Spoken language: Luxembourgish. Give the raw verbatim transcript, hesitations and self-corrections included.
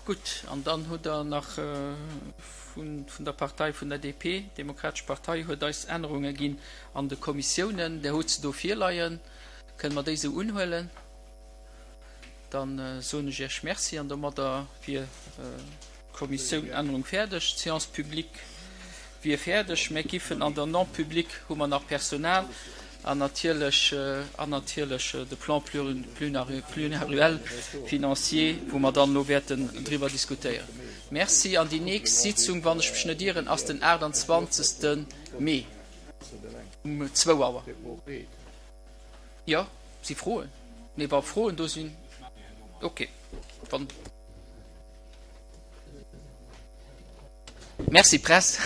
Gutt, an dann hutt Der nach vun der Partei vun der D P, Demokratesch Partei huet eis Ännerunge ginn an de Kommissiounen. Der hutt se do virleien. Kënne mer déi esou unhuelen? Da soen ech Iech Merci an domadder wier d'Kommissiounännerung fäerdeg. D'Séance publique wier fäerdeg. Mir giffen an der Non-publique hu mer nach Personal an natierlech an natierlech de Plan pluriannuel financier, wou mer dann elo wäerten driwwer diskutéieren. Merci. An déi nächst Sitzung, wann ech mech net ieren, ass den aachtanzwanzegste Mee um zwou Auer. Jo, si Froen? Nee, wa Froen do sinn, okay. Wann. Merci Press.